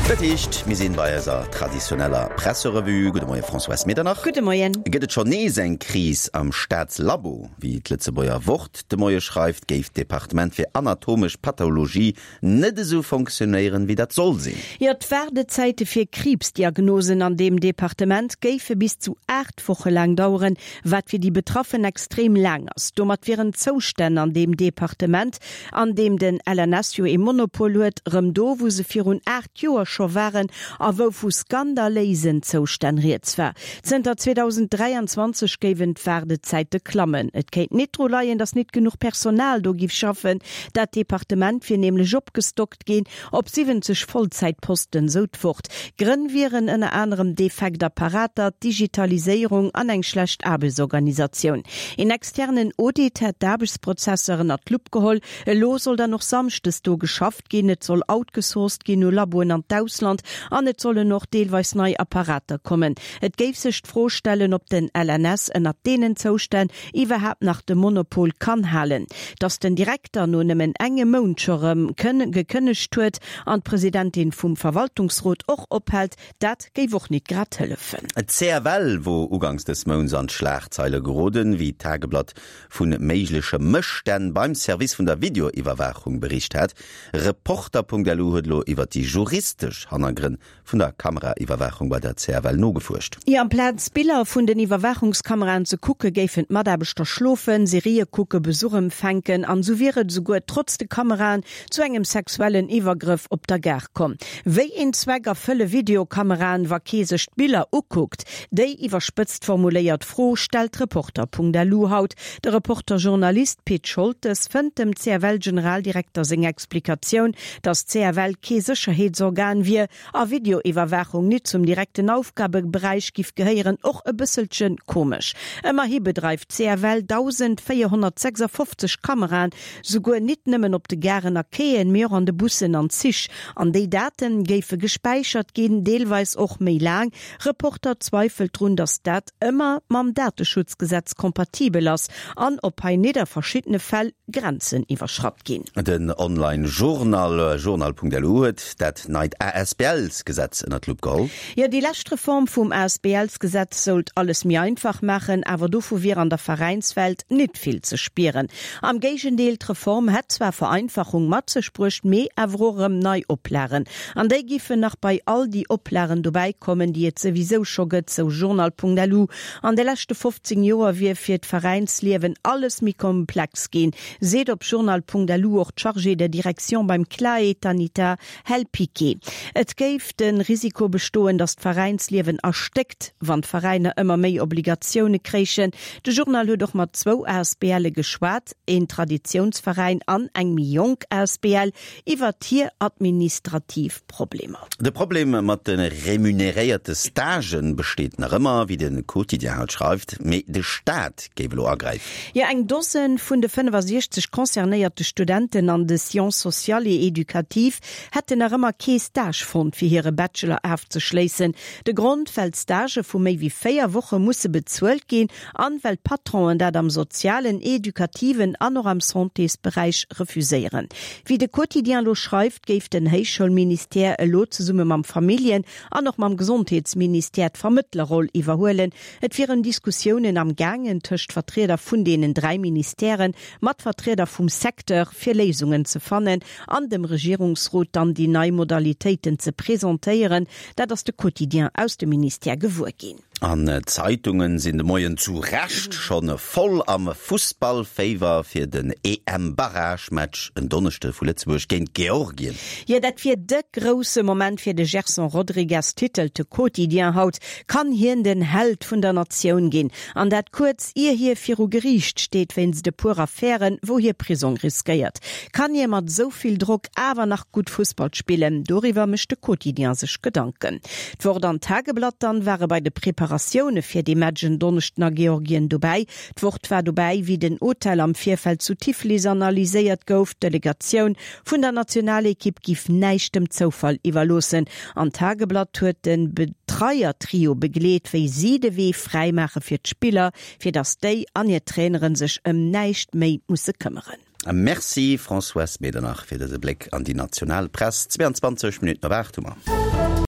Dat heescht, mir sinn bei eiser traditioneller Presserevue. Gudde Moie Françoise Medernach. Gudde Moien. Gëtt et schonn nees eng Kris am Staatslabo? Wéi d'Lëtzebuerger Wort de Moie schreift, géif d'Departement fir anatomesch Pathologie net esou fonctionnéieren, wéi dat soll sinn. Jo, d'Waardezäite fir Kriibsdiagnosen an deem Departement géife bis zu 8 Woche laang daueren, wat fir déi Betraffen extrem laang ass. Domat wieren d'Zoustänn an deem Departement, an deem den LNS jo ee Monopol huet, rëm do, wou se virun 8 Joer scho waren a wou vu skandaléisen Zoustänn rieds war. Zënter 2023 géiwen d'Waardezäite klammen. Et kéint nit dru leien, datt nit genuch Personal do giff schaffen. Dat Departement wier nämlech opgestockt ginn op 70 Vollzäitposten, sou d'Wort. Grënn wieren ënner anerem defekt Apparater, d'Digitaliséierung an eng schlecht Aarbechtsorganisatioun. Een externen Audit hätt d'Aarbechtsprozesser ënnert d'Lupp geholl. Elo soll dann och samschdes do geschafft ginn, et soll outgesourced ginn u Laboen an d'Ausland an et sollen och deelweis nei Apparater kommen. Et géif sech d'Fro stellen, ob den LNS ënnert deenen Zoustänn iwwerhaapt nach de Monopol kann halen. Datt den Direkter no nëmmen engem Mount scho rëm gekënnegt huet an d'Presidentin vum Verwaltungsrot och ophält, dat géif och nit grad hëllefen. D'CFL wor uganks dës Mounts an d'Schlagzeile geroden, wéi d'Tageblatt vu méigleche Mësstänn beim Service vun der Videoiwwerwaachung bericht hat. Reporter.lu huet elo iwwer déi juristesch Hannergrënn vun der Kameraiwwerwaachung bei der CFL nogefuerscht. Jo, amplaz Biller vun den Iwwerwaachungskameraen ze kucke, géifen d'Mataarbechter schlofen, Serië kucke, Besuch empfänken an esou wier et esouguer trotz de Kameraen zu engem sexuellen Iwwergrëff op der Gare komm. Wéi een Zweck erfëlle Videokameraen, wa kee sech d'Biller ukuckt? Déi iwwerspëtzt formuléiert Fro stellt Reporter.lu haut. De Reporter-Journalist Pit Scholtes fënnt dem CFL-Generaldirekter seng Explikatioun, datt d'CFL kee Sécherheetsorgan wier a Videoiwwerwaachung nit zum direkten Aufgabeberäich giff gehéieren, och e bësselche komesch. Ëmmerhi bedreift d'CFL 1.456 Kameraen, souguer nit nëmmen op de Garen a Quaien, mee och an de Bussen an Zich. An déi Daten géife gespäichert ginn, deelweis och méi laang. Reporter zweifelt drun, datt dat ëmmer mam Dateschutzgesetz kompatibel ass an ob hei nit a verschiddene Fäll Grenzen iwwerschratt ginn. Den Online-Journal journal.lu huet dat neit ASBLs-Gesetz ënner d'Lupp geholl. Jo, déi lescht Reform vum ASBLs-Gesetz sollt alles méi einfach maachen, awer dovu wier an der Veräinswelt nit vill ze spieren. Am Géigendeel, d'Reform hätt zwar Vereinfachung mat sech bruecht, mee awer och erëm nei Oplagen. An déi giffen nach bei all déi Oplagen dobäi kommen, déi et souwisou scho gëtt, sou journal.lu. An de leschte 15 Joer wier fir d'Veräinsliewen alles méi komplex ginn, seet op journal.lu och d'Chargée de direction beim CLAE, d'Anita Hell-Piqué. Et géif de Risiko bestoen, datt d'Veräinsliewen erstéckt, wann d'Veräiner ëmmer méi Obligatioune kréichen. De Journal huet och mat zwou ASBLe geschwat, een Traditiounsveräin an eng méi jonk asbl. Iwwert hir administrativ Problemer. De Problem mat de remuneréierte Stagen besteet nach ëmmer, wéi de Quotidien haut schreift, mee de Staat géif elo agräifen. Jo, eng Dosen vun de 65 concernéierte Studenten an de Sciences sociales et éducatives hätten nach ëmmer kee Stage fonnt, fir hire Bachelor afzeschléissen. De Grond, well d'Stagë vu méi wéi 4 Woche musse bezuelt ginn an well d'Patronen dat am sozialen, edukativen an och am Santésberäich refuséieren. Wéi de Quotidien elo schreift, géif den Héichschoulministère elo zesumme mam Familljen an och mam Gesondheetsministère d'Vermëttlerroll iwwerhuelen. Et wieren Diskussiounen am gaangen tëscht Vertrieder vun deenen 3 Ministèren mat Vertrieder vum Secteur, fir Léisungen ze fannen an dem Regierungsrot dann déi nei Modalitéiten ze presentéieren. Dat ass de Quotidien aus dem Ministère gewuer ginn. An d'Zeitungen sinn de Moien zu Recht schonn voll am Fussballféiwer fir den EM-Barragematch en Donneschde vu Lëtzebuerg géint Georgien. Jo, dat wier de grousse Moment fir de Gerson Rodrigues, titelt de Quotidien haut. Kann hien den Held vun der Natioun ginn? An dat kuerz ier hie viru Geriicht steet wéinst e puer Affären, wou hie Prisong riskéiert. Kann hie mat esou vill Drock awer nach gutt Fussball spillen? Doriwwer mécht de Quotidien sech Gedanken. D'Wort an d'Tageblatt dann ware bei de Preparatioune fir dee Match en Donneschden a Georgien dobäi. D'Wort war dobäi, wéi den Hotel am Virfeld zu Tiflis analyséiert gouf. D'Delegatioun vun der Nationalekipp giff näischt dem Zoufall iwwerloossen an d'Tageblatt huet de Betreier-Trio begleet, wéi si de Wee fräi maache fir d'Spiller, fir datt déi an hir Traineren sech ëm näischt méi musse këmmeren. Merci Françoise Medernach fir dëse Bléck an déi national Press. 22 Minutten op 8 hu mer.